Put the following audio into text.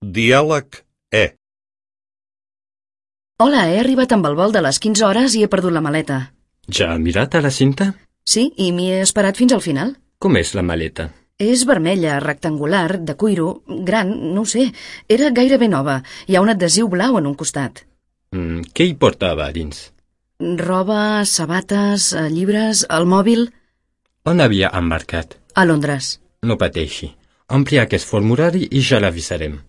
Diàleg E. Hola, he arribat amb el vol de les 15 hores i he perdut la maleta. Ja ha mirat a la cinta? Sí, i m'hi he esperat fins al final. Com és la maleta? És vermella, rectangular, de cuiro, gran, no ho sé. Era gairebé nova. Hi ha un adhesiu blau en un costat. Què hi portava a dins? Roba, sabates, llibres, el mòbil... On havia embarcat? A Londres. No pateixi. Ompli aquest formulari i ja l'avisarem.